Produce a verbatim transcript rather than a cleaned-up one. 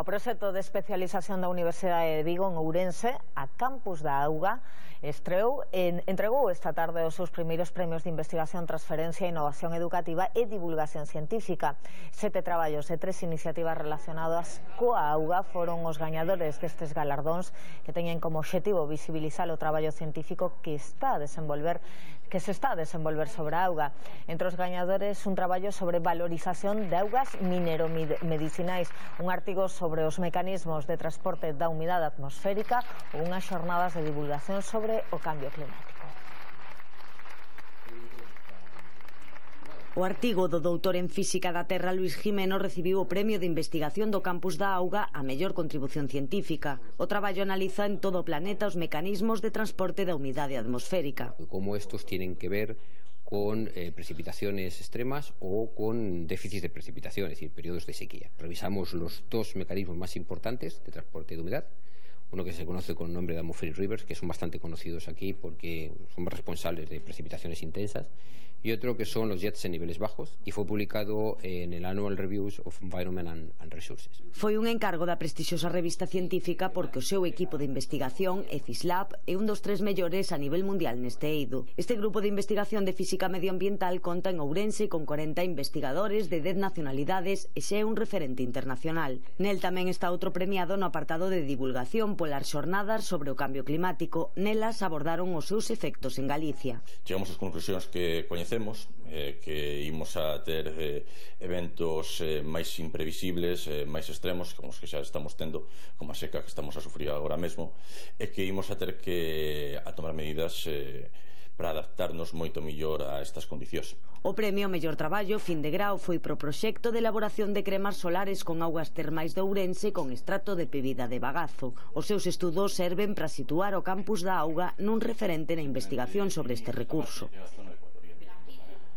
O proxecto de especialización da Universidade de Vigo en Ourense, a Campus da Auga, estreou en, entregou esta tarde os seus primeiros premios de investigación, transferencia, innovación educativa e divulgación científica. Sete traballos e tres iniciativas relacionadas coa auga foron os gañadores destes galardóns, que teñen como obxectivo visibilizar o traballo científico que está a desenvolver que se está a desenvolver sobre a auga. Entre os gañadores, un traballo sobre valorización de augas mineromedicinais, un artigo sobre os mecanismos de transporte da humidade atmosférica ou unhas xornadas de divulgación sobre o cambio climático. O artigo do doutor en Física da Terra Luis Jimeno recibiu o premio de investigación do Campus da Auga a mellor contribución científica. O traballo analiza en todo o planeta os mecanismos de transporte da humidade atmosférica. Como estos tienen que ver con eh, precipitaciones extremas o con déficits de precipitación, es decir, periodos de sequía. Revisamos los dos mecanismos más importantes de transporte de humedad. Uno que se conoce con el nombre de atmospheric rivers, que son bastante conocidos aquí porque son responsables de precipitaciones intensas, y otro que son los jets en niveles bajos, y fue publicado en el Annual Reviews of Environment and, and Resources. Foi un encargo da prestixiosa revista científica porque o seu equipo de investigación, EFISLab, é un dos tres mellores a nivel mundial neste eido. Este grupo de investigación de física medioambiental conta en Ourense con corenta investigadores de dez nacionalidades e xa é un referente internacional. Nel tamén está outro premiado no apartado de divulgación polas xornadas sobre o cambio climático. Nelas abordaron os seus efectos en Galicia. Chegamos ás conclusións que coñecemos, eh, que imos a ter eh, eventos eh, máis imprevisibles, eh, máis extremos, como os que xa estamos tendo, como a seca que estamos a sufrir agora mesmo, e que imos a ter que a tomar medidas eh, para adaptarnos moito mellor a estas condicións. O premio mellor traballo fin de grao foi pro proxecto de elaboración de cremas solares con augas termais de Ourense con extracto de pebida de bagazo. Os seus estudos serven para situar o Campus da Auga nun referente na investigación sobre este recurso.